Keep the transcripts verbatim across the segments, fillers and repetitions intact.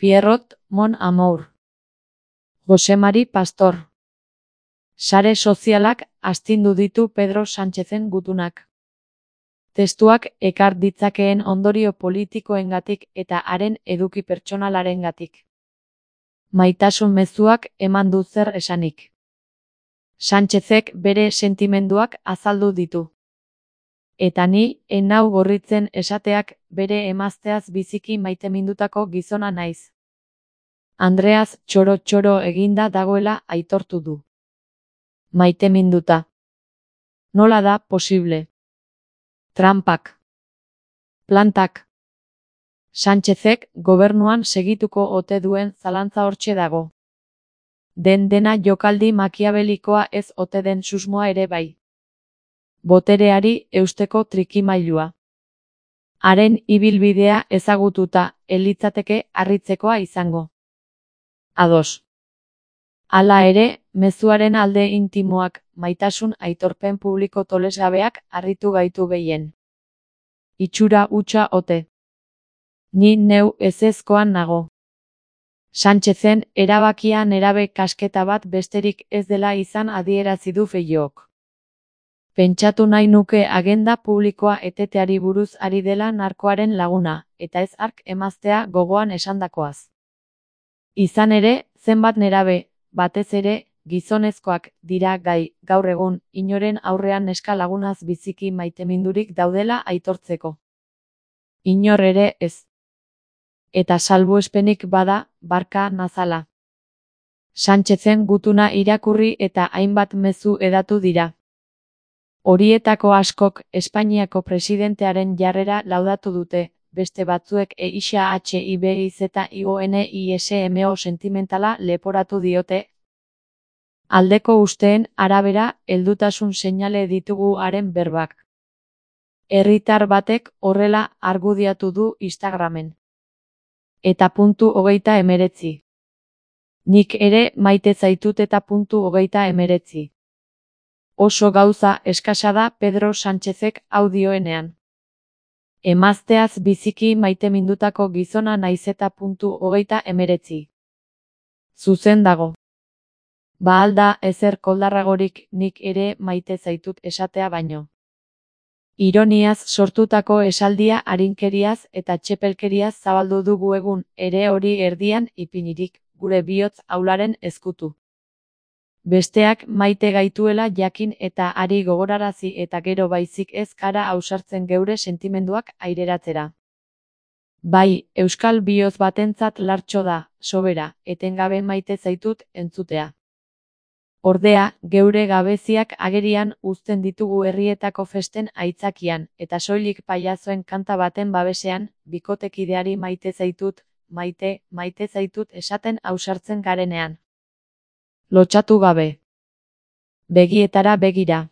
Pierrot, mon amour. Jose Mari Pastor. Sare sozialak astindu ditu Pedro Sánchezen gutunak. Testuak ekar ditzakeen ondorio politikoengatik eta haren eduki pertsonalarengatik. Maitasun mezuak eman du zer esanik. Sánchezek bere sentimenduak azaldu ditu. Eta ni, enau gorritzen esateak bere emazteaz biziki maitemindutako gizona naiz. Andreaz txoro-txoro eginda dagoela aitortu du. Maiteminduta. Nola da posible? Trampak. Plantak. Sánchezek gobernuan segituko ote duen zalantza hortxe dago. Den dena jokaldi makiabelikoa ez ote den susmoa ere bai. Botereari eusteko trikimailua. Haren ibilbidea ezagututa elitzateke harritzekoa izango. Ados. Hala ere, mezuaren alde intimoak, maitasun aitorpen publiko tolesgabeak harritu gaitu gehien. Itxura hutsa ote. Ni neu ezezkoan nago. Sánchezen erabakia nerabe kasketa bat besterik ez dela izan adierazi du Feijóok. Pentsatu nahi nuke agenda publikoa eteteari buruz ari dela narkoaren laguna, eta ez hark emaztea gogoan esandakoaz. Izan ere, zenbat nerabe, batez ere, gizonezkoak dira gai, gaur egun, inoren aurrean neska lagunaz biziki maitemindurik daudela aitortzeko. Inor ere ez. Eta salbuespenik bada, barka nazala. Sánchezen gutuna irakurri eta hainbat mezu hedatu dira. Horietako askok Espainiako presidentearen jarrera laudatu dute, beste batzuek EIXHIBIZIONISMO sentimentala leporatu diote. Aldeko usteen arabera, heldutasun seinale ditugu haren berbak. Herritar batek horrela argudiatu du Instagramen. Eta puntu hogeita emeretzi. Nik ere maite zaitut eta puntu hogeita emeretzi. Oso gauza eskasa da Pedro Sánchezek hau dioenean. Emazteaz biziki maitemindutako gizona naiz eta puntu hogeita emeretzi. Zuzen dago. Ba alda ezer koldarragorik nik ere maite zaitut esatea baino. Ironiaz sortutako esaldia arinkeriaz eta txepelkeriaz zabaldu dugu egun, ere hori erdian ipinirik, gure bihotz aularen ezkutu. Besteak maite gaituela jakin eta ari gogorarazi eta gero baizik ez gara ausartzen geure sentimenduak aireratzera. Bai, euskal bihotz batentzat lartxo da, sobera, etengabe maite zaitut entzutea. Ordea, geure gabeziak agerian uzten ditugu herrietako festen aitzakian, eta soilik pailazoen kanta baten babesean, bikotekideari maite zaitut, maite, maite zaitut esaten ausartzen garenean. Lotxatu gabe. Begietara begira.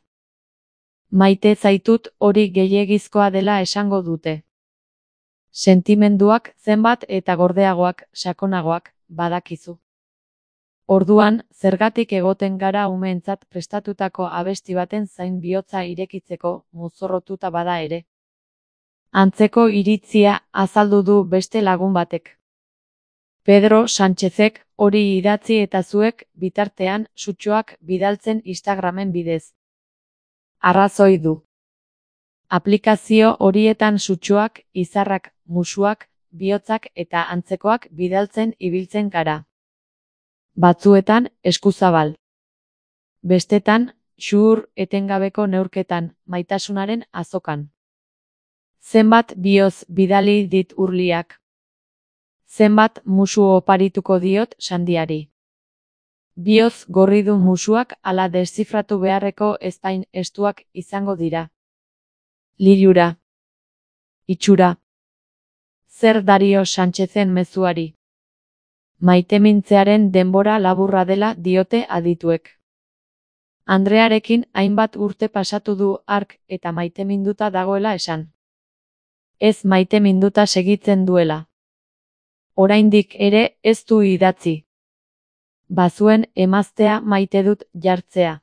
Maite zaitut hori gehiegizkoa dela esango dute. Sentimenduak zenbat eta gordeagoak, sakonagoak, badakizu. Orduan, zergatik egoten gara umeentzat prestatutako abesti baten zain bihotza irekitzeko, mozorrotuta bada ere. Antzeko iritzia azaldu du beste lagun batek. Pedro Sánchezek hori idatzi eta zuek, bitartean, sutxoak bidaltzen Instagramen bidez. Arrazoi du. Aplikazio horietan sutxoak, izarrak, musuak, bihotzak eta antzekoak bidaltzen ibiltzen gara. Batzuetan, eskuzabal. Bestetan, xuhur etengabeko neurketan, maitasunaren azokan. Zenbat bihotz bidali dit urliak. Zenbat musu oparituko diot sandiari. Bihotz gorri du musuak ala deszifratu beharreko ezpain estuak izango dira. Lilura. Itxura. Zer dario Sánchezen mezuari. Maitemintzearen denbora laburra dela diote adituek. Andrearekin hainbat urte pasatu du hark eta maiteminduta dagoela esan. Ez maiteminduta segitzen duela. Oraindik ere ez du idatzi. Bazuen emaztea maite dut jartzea.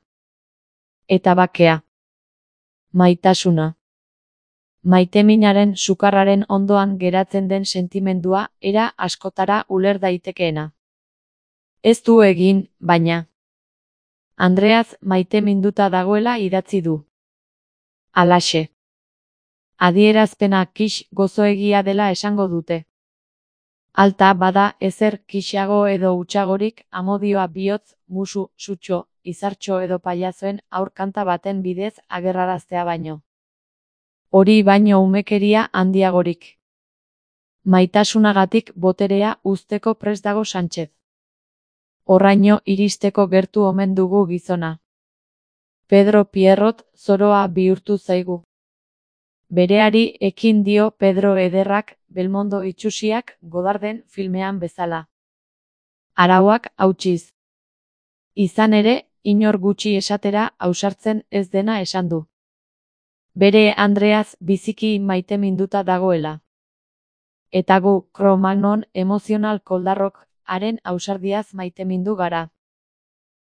Eta bakea. Maitasuna. Maiteminaren sukarraren ondoan geratzen den sentimendua era askotara uler daitekeena. Ez du egin, baina. Andreaz maiteminduta dagoela idatzi du. Halaxe. Adierazpena kix gozoegia dela esango dute. Alta bada ezer kixago edo hutsagorik amodioa bihotz, musu, sutxo, izartxo edo pailazoen aurkanta baten bidez agerraraztea baino. Hori baino umekeria handiagorik. Maitasunagatik boterea uzteko prest dago Sánchez. Horraino iristeko gertu omen dugu gizona. Pedro Pierrot zoroa bihurtu zaigu. Bereari ekin dio Pedro ederrak, Belmondo itsusiak Godarden filmean bezala. Arauak hautsiz. Izan ere, inor gutxi esatera ausartzen ez dena esan du. Bere Andreaz biziki maiteminduta dagoela. Eta gu, Cro-Magnon emozional koldarrok haren ausardiaz maitemindu gara.